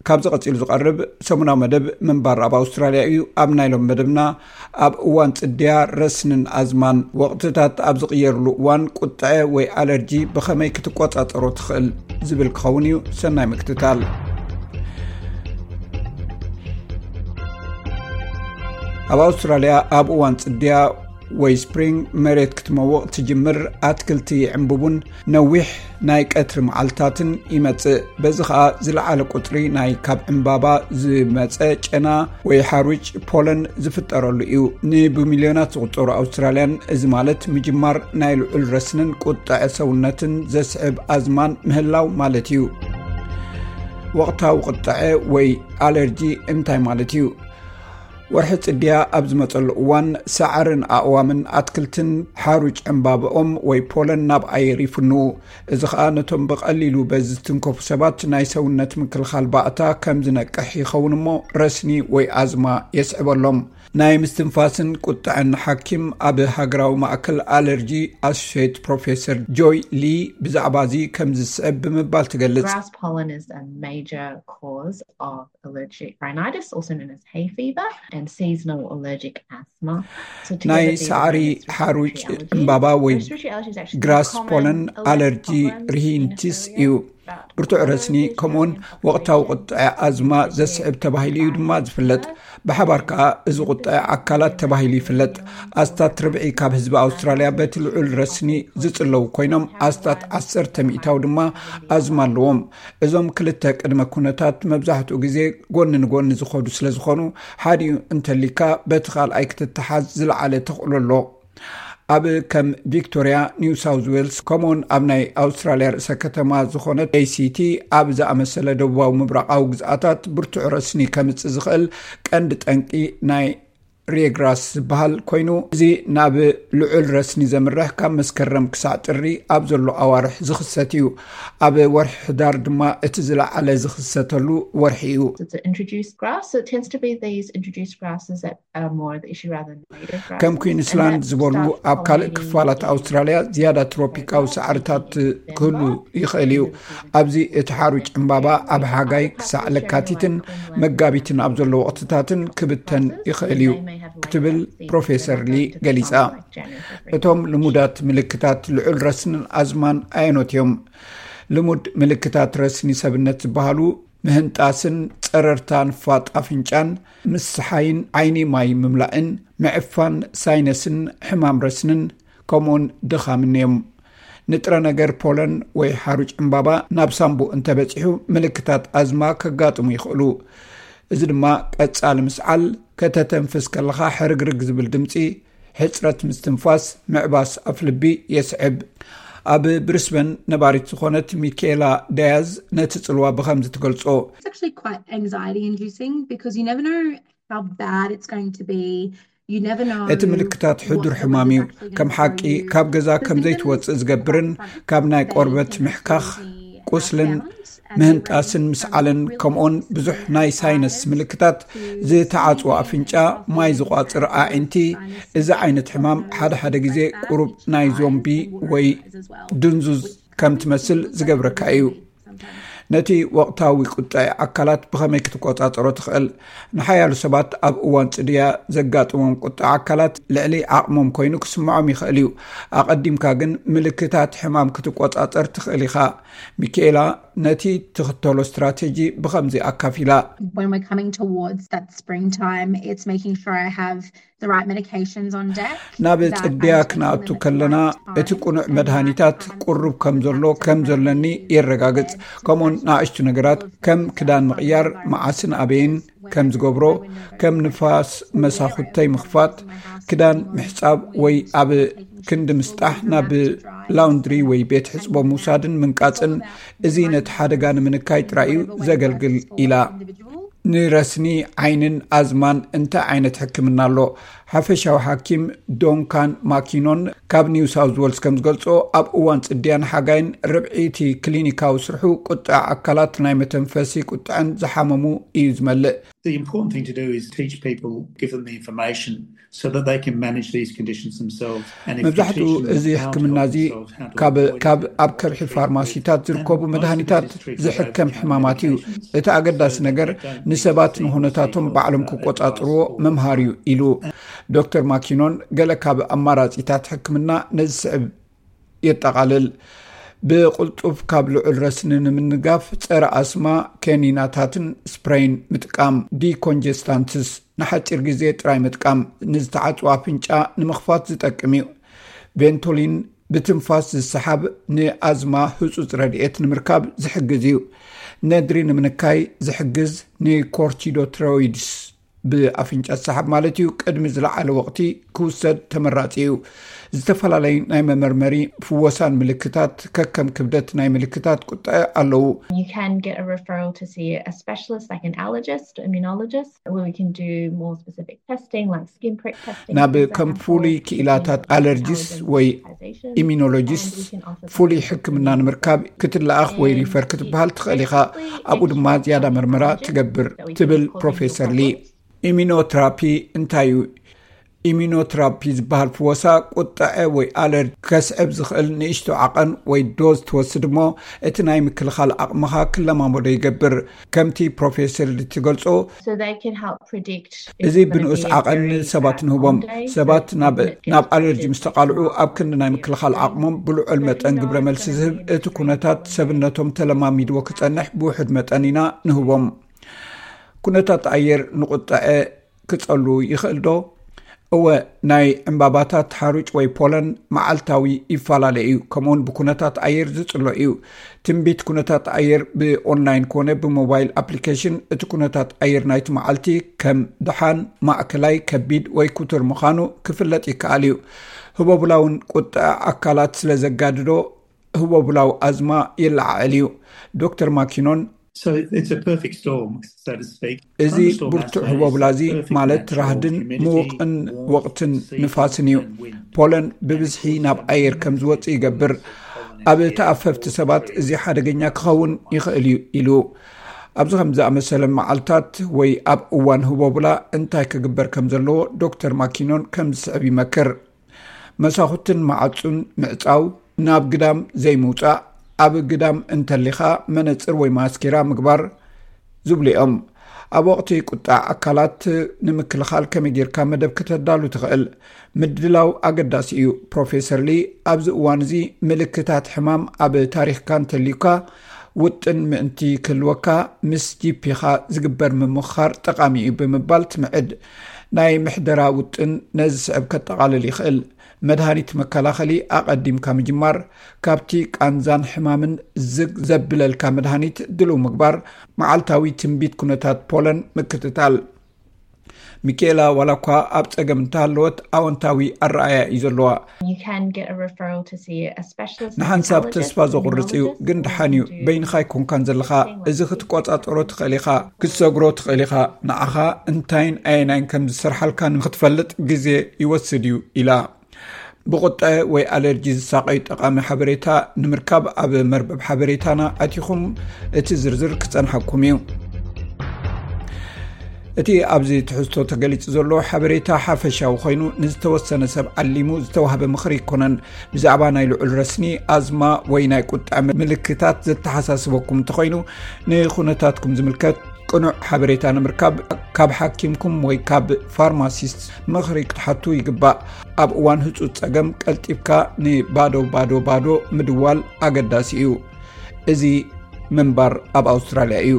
ካብዚ ቀጺሉ ዝቐርብ ሰሙናዊ መደብ ምንባር ኣብ ኣውስትራልያ እዩ። ኣብ ናይ ሎም መደብና፣ ኣብ እዋን ጽድያ፣ ረስንን ኣዝማን ወቕትታት ኣብ ዝቕየርሉ እዋን፣ ቁጥዐ ወይ ኣለርጂ ብኸመይ ክትቆጻጸሮ ትኽእል ዝብል ክኸውን እዩ። ሰናይ ምክትታል። ኣብ ኣውስትራልያ፣ ኣብ እዋን ጽድያ ወይ ስፕሪንግ፣ መሬት ክትመውቕ ትጅምር፣ ኣትክልቲ ይዕምብቡን ነዊሕ ናይ ቀትሪ መዓልታትን ይመጽእ። በዚ ኸኣ ዝለዓለ ቁጽሪ ናይ ካብ ዕምባባ ዝመጸ ጨና ወይ ሓሩጭ፣ ፖለን፣ ዝፍጠረሉ እዩ። ንብሚልዮናት ዝቑጸሩ ኣውስትራልያን፣ እዚ ማለት ምጅማር ናይ ልዑል ረስንን ቁጥዐ ሰውነትን ዘስዕብ ኣዝማን ምህላው ማለት እዩ። ወቕታዊ ቁጥዐ ወይ ኣለርጂ እንታይ ማለት እዩ? ወርሒ ጽድያ ኣብ ዝመጸሉ እዋን፣ ሳዕርን ኣእዋምን ኣትክልትን ሓሩጭ ዕምባብኦም ወይ ፖለን ናብ ኣየር ይፍንዉ። እዚ ኸኣ ነቶም ብቐሊሉ በዚ ዝትንከፉ ሰባት ናይ ሰውነት ምክልኻል ባእታ ከም ዝነቅሕ ይኸውን እሞ፣ ረስኒ ወይ ኣዝማ የስዕበሎም። ናይ ምስትንፋስን ቁጥዐን ሓኪም፣ ኣብ ሃገራዊ ማእከል ኣለርጂ ኣሶሼት ፕሮፌሰር ጆይ ሊ ብዛዕባ እዚ ከም ዝስዕብ ብምባል ትገልጽ። Grass pollen is a major cause of allergic rhinitis, also known as hay fever, and seasonal allergic asthma. So ናይ together, these are ሳዕሪ known as ሓሩጭ respiratory allergies. ዕምባባ ወይ Respiratory allergies actually ግራስ common ፖለን allergic ኣለርጂ problems in ርሂንቲስ this እዩ። area. ብርቱዕ ረስኒ ከምኡውን ወቕታዊ ቁጥዐ ኣዝማ ዘስዕብ ተባሂሉ እዩ ድማ ዝፍለጥ። ብሓባር ከኣ እዚ ቁጥዐ ኣካላት ተባሂሉ ይፍለጥ። ኣስታት ርብዒ ካብ ህዝቢ ኣውስትራልያ በቲ ልዑል ረስኒ ዝጽለዉ ኮይኖም፣ ኣስታት ዓሰርተ ሚእታዊ ድማ ኣዝማ ኣለዎም። እዞም ክልተ ቅድመ ኩነታት መብዛሕትኡ ግዜ ጎኒ ንጎኒ ዝኸዱ ስለ ዝኾኑ፣ ሓዲኡ እንተሊካ በቲ ካልኣይ ክትተሓዝ ዝለዓለ ተኽእሎ ኣሎ። ኣብ ከም ቪክቶሪያ፣ ኒው ሳውዝ ዌልስ፣ ከምኡውን ኣብ ናይ ኣውስትራልያ ርእሰ ከተማ ዝኾነት ኤሲቲ፣ ኣብ ዝኣመሰለ ደቡባዊ ምብራቓዊ ግዝኣታት ብርቱዕ ረስኒ ከምጽእ ዝኽእል ቀንዲ ጠንቂ ናይ ሪየግራስ ዝበሃል ኮይኑ፣ እዚ ናብ ልዑል ረስኒ ዘምርሕ ካብ መስከረም ክሳዕ ጥሪ ኣብ ዘሎ ኣዋርሕ ዝኽሰት እዩ። ኣብ ወርሒ ሕዳር ድማ እቲ ዝለዓለ ዝኽሰተሉ ወርሒ እዩ። It's an introduced grass, so it tends to be these introduced grasses that are more the issue rather than native grasses. ከም ኩዊንስላንድ ዝበሉ ኣብ ካልእ ክፋላት ኣውስትራልያ ዝያዳ ትሮፒካዊ ሳዕርታት ክህሉ ይኽእል እዩ። ኣብዚ እቲ ሓሩጭ ዕምባባ ኣብ ሓጋይ ክሳዕ ለካቲትን መጋቢትን ኣብ ዘሎ ወቕትታትን ክብተን ይኽእል እዩ ክትብል ፕሮፌሰር ሊ ገሊጻ። እቶም ልሙዳት ምልክታት ልዑል ረስንን ኣዝማን ኣየኖት እዮም? ልሙድ ምልክታት ረስኒ ሰብነት ዝበሃሉ ምህንጣስን ጸረርታ ንፋጥ ኣፍንጫን፣ ምስሓይን ዓይኒ ማይ ምምላእን፣ ምዕፋን ሳይነስን ሕማም ረስንን፣ ከምኡውን ድኻምን እዮም። ንጥረ ነገር ፖለን ወይ ሓሩጭ ዕምባባ ናብ ሳምቡእ እንተበጺሑ፣ ምልክታት ኣዝማ ከጋጥሙ ይኽእሉ። እዚ ድማ ቀጻሊ ምስዓል፣ ከተተንፍስ ከለኻ ሕርግርግ ዝብል ድምጺ፣ ሕጽረት ምስትንፋስ፣ ምዕባስ ኣፍልቢ የስዕብ። ኣብ ብሪስበን ነባሪት ዝኾነት ሚካኤላ ዳያዝ ነቲ ጽልዋ ብኸምዚ ትገልጾ። It's actually quite anxiety inducing because you never know how bad it's going to be. You never know እቲ ምልክታት ሕዱር ሕማም እዩ። ከም ሓቂ ካብ ገዛ ከም ዘይትወጽእ ዝገብርን ካብ ናይ ቆርበት ምሕካኽ፣ ቁስልን ምህንጣስን ምስዓልን ከምኡውን ብዙሕ ናይ ሳይነስ ምልክታት፣ ዝተዓጽወ ኣፍንጫ፣ ማይ ዝቋጽር ኣዒንቲ። እዚ ዓይነት ሕማም ሓደ ሓደ ግዜ ቁሩብ ናይ ዞምቢ ወይ ድንዙዝ ከም ትመስል ዝገብረካ እዩ። ነቲ ወቕታዊ ቁጥዐ ኣካላት ብኸመይ ክትቆጻጸሮ ትኽእል? ንሓያሎ ሰባት ኣብ እዋን ጽድያ ዘጋጥሞም ቁጥዐ ኣካላት ልዕሊ ዓቕሞም ኮይኑ ክስምዖም ይኽእል እዩ። ኣቐዲምካ ግን ምልክታት ሕማም ክትቆጻጸር ትኽእል ኢኻ። ሚካኤላ ነቲ ትኽተሎ ስትራቴጂ ብኸምዚ ኣካፊላ። When we're coming towards that springtime, it's making sure I have the right medications on deck. ናብ ጽድያ ክንኣቱ ከለና እቲ ቁኑዕ መድሃኒታት ቁሩብ ከም ዘሎ ከም ዘለኒ የረጋግጽ። ከምኡውን ንኣሽቱ ነገራት ከም ክዳን ምቕያር፣ መዓስን ኣበይን ከም ዝገብሮ፣ ከም ንፋስ መሳኹተይ ምኽፋት፣ ክዳን ምሕጻብ ወይ ኣብ ክንዲ ምስጣሕ ናብ ላውንድሪ ወይ ቤት ሕጽቦ ምውሳድን ምንቃጽን፣ እዚ ነቲ ሓደጋ ንምንካይ ጥራይ እዩ ዘገልግል ኢላ። ንረስኒ ዓይንን ኣዝማን እንታይ ዓይነት ሕክምና ኣሎ? ሓፈሻዊ ሓኪም ዶንካን ማኪኖን ካብ ኒው ሳውዝ ዌልስ ከም ዝገልጾ፣ ኣብ እዋን ጽድያን ሓጋይን ርብዒ እቲ ክሊኒካዊ ስርሑ ቁጥዐ ኣካላት ናይ መተንፈሲ ቁጥዐን ዝሓመሙ እዩ ዝመልእ። The important thing to do is teach people, give them the information so that they can manage these conditions themselves. And if you መብዛሕትኡ teach them እዚ how to ሕክምና help እዚ themselves, how to ካብ avoid ካብ it, ኣብ ከብሒ ፋርማሲታት ዝርከቡ መድሃኒታት ዝሕከም ሕማማት እዩ። እቲ ኣገዳሲ ነገር ንሰባት ንኹነታቶም ባዕሎም ክቆጻጽርዎ ምምሃር እዩ ኢሉ ዶክተር ማኪኖን። ገለ ካብ ኣማራጺታት ሕክምና ነዚ ስዕብ የጠቓልል። ብቕልጡፍ ካብ ልዑል ረስኒ ንምንጋፍ ጸረ ኣስማ ኬኒናታትን ስፕሬይን ምጥቃም፣ ዲኮንጀስታንትስ ንሓጺር ግዜ ጥራይ ምጥቃም፣ ንዝተዓጽወ ኣፍንጫ ንምኽፋት ዝጠቅም እዩ። ቬንቶሊን ብትንፋስ ዝሰሓብ ንኣዝማ ህጹጽ ረድኤት ንምርካብ ዝሕግዝ እዩ። ነድሪ ንምንካይ ዝሕግዝ ንኮርቲዶትሮይድስ ብኣፍንጫ ዝሰሓብ ማለት እዩ፣ ቅድሚ ዝለዓለ ወቕቲ ክውሰድ ተመራጺ እዩ። ዝተፈላለዩ ናይ መመርመሪ ፍወሳን ምልክታት ከከም ክብደት ናይ ምልክታት ቁጥዐ ኣለዉ። You can get a referral to see a specialist like an allergist, immunologist, where we can do more specific testing like skin prick testing. ናብ ከም ፍሉይ ክኢላታት ኣለርጂስት ወይ ኢሚኖሎጂስት ፍሉይ ሕክምና ንምርካብ ክትለኣኽ ወይ ሪፈር ክትበሃል ትኽእል ኢኻ። ኣብኡ ድማ ዝያዳ መርመራ ትገብር ትብል ፕሮፌሰር ሊ። ኢሚኖትራፒ እንታይ እዩ? ኢሚኖትራፒ ዝበሃል ፍወሳ ቁጥዐ ወይ ኣለርጂ ከስዕብ ዝኽእል ንእሽቶ ዓቐን ወይ ዶዝ ትወስድ እሞ፣ እቲ ናይ ምክልኻል ዓቕምኻ ክለማመዶ ይገብር። ከምቲ ፕሮፌሰር ሊ ትገልጾ፣ So they can help predict. እዚ ብንኡስ ዓቐን ንሰባት ንህቦም። ሰባት ናብ ኣለርጂ ምስ ተቓልዑ፣ ኣብ ክንዲ ናይ ምክልኻል ዓቕሞም ብልዑል መጠን ግብረ መልሲ ዝህብ፣ እቲ ኩነታት ሰብነቶም ተለማሚድዎ ክጸንሕ ብውሑድ መጠን ኢና ንህቦም። ኩነታት ኣየር ንቁጥዐ ክጸሉ ይኽእል ዶ? እወ፣ ናይ ዕምባባታት ሓሩጭ ወይ ፖለን መዓልታዊ ይፈላለ እዩ፣ ከምኡውን ብኩነታት ኣየር ዝጽሎ እዩ። ትንቢት ኩነታት ኣየር ብኦንላይን ኮነ ብሞባይል ኣፕሊኬሽን፣ እቲ ኩነታት ኣየር ናይቲ መዓልቲ ከም ደሓን፣ ማእከላይ፣ ከቢድ ወይ ክቱር ምዃኑ ክፍለጥ ይከኣል እዩ። ህቦብላ እውን ቁጥዐ ኣካላት ስለ ዘጋድዶ፣ ህቦብላዊ ኣዝማ ይለዓዕል እዩ። ዶክተር ማኪኖን፣ So it's a perfect storm, so to speak. እዚ ብርቱዕ ህቦብላ እዚ ማለት ራህድን ምውቕን ወቕትን ንፋስን እዩ። ፖለን ብብዝሒ ናብ ኣየር ከም ዝወጽእ ይገብር። ኣብ ተኣፈፍቲ ሰባት እዚ ሓደገኛ ክኸውን ይኽእል እዩ ኢሉ። ኣብዚ ከም ዝኣመሰለ መዓልታት ወይ ኣብ እዋን ህቦብላ እንታይ ክግበር ከም ዘለዎ ዶክተር ማኪኖን ከም ዝስዕብ ይመክር። መሳኹትን መዓጹን ምዕጻው፣ ናብ ግዳም ዘይምውጻእ፣ ኣብ ግዳም እንተሊኻ መነጽር ወይ ማስኬራ ምግባር ዝብሉ እዮም። ኣብ ወቕቲ ቁጣዕ ኣካላት ንምክልኻል ከመይ ጌርካ መደብ ከተዳሉ ትኽእል? ምድላው ኣገዳሲ እዩ። ፕሮፌሰር ሊ፣ ኣብዚ እዋን እዚ ምልክታት ሕማም ኣብ ታሪኽካ እንተልዩካ፣ ውጥን ምእንቲ ክህልወካ ምስ ጂፒኻ ዝግበር ምምኽኻር ጠቓሚ እዩ ብምባል ትምዕድ። ናይ ምሕደራ ውጥን ነዚ ስዕብ ከጠቓልል ይኽእል። መድሃኒት መከላኸሊ ኣቐዲምካ ምጅማር፣ ካብቲ ቃንዛን ሕማምን ዝግ ዘብለልካ መድሃኒት ድልው ምግባር፣ መዓልታዊ ትንቢት ኩነታት ፖለን ምክትታል። ሚኬላ ዋላ እኳ ኣብ ጸገም እንተሃለወት ኣወንታዊ ኣረኣያ እዩ ዘለዋ። You can get a referral to see a specialist. ንሓንሳብ ተስፋ ዘቑርጽ እዩ፣ ግን ደሓን እዩ። በይንኻ ኣይኮንካን ዘለኻ። እዚ ክትቆጻጸሮ ትኽእል ኢኻ፣ ክትሰግሮ ትኽእል ኢኻ። ንዓኻ እንታይን ኣየናይን ከም ዝሰርሓልካ ንክትፈልጥ ግዜ ይወስድ እዩ ኢላ። ብቁጠ ወይ ኣለርጂ ዝሳቐዩ ጠቓሚ ሓበሬታ ንምርካብ ኣብ መርበብ ሓበሬታና ኣቲኹም እቲ ዝርዝር ክጸንሓኩም እዩ። እቲ ኣብዚ ትሕዝቶ ተገሊጹ ዘሎ ሓበሬታ ሓፈሻዊ ኮይኑ፣ ንዝተወሰነ ሰብ ዓሊሙ ዝተዋህበ ምኽሪ ኣይኮነን። ብዛዕባ ናይ ልዑል ረስኒ፣ ኣዝማ ወይ ናይ ቁጠ ምልክታት ዘተሓሳስበኩም እንተኾይኑ፣ ንኹነታትኩም ዝምልከት ቅኑዕ ሓበሬታ ንምርካብ ካብ ሓኪምኩም ወይ ካብ ፋርማሲስት ምኽሪ ክትሓቱ ይግባእ። ኣብ እዋን ህጹጽ ጸገም ቀልጢፍካ ንባዶ ባዶ ባዶ ምድዋል ኣገዳሲ እዩ። እዚ ምንባር ኣብ ኣውስትራልያ እዩ።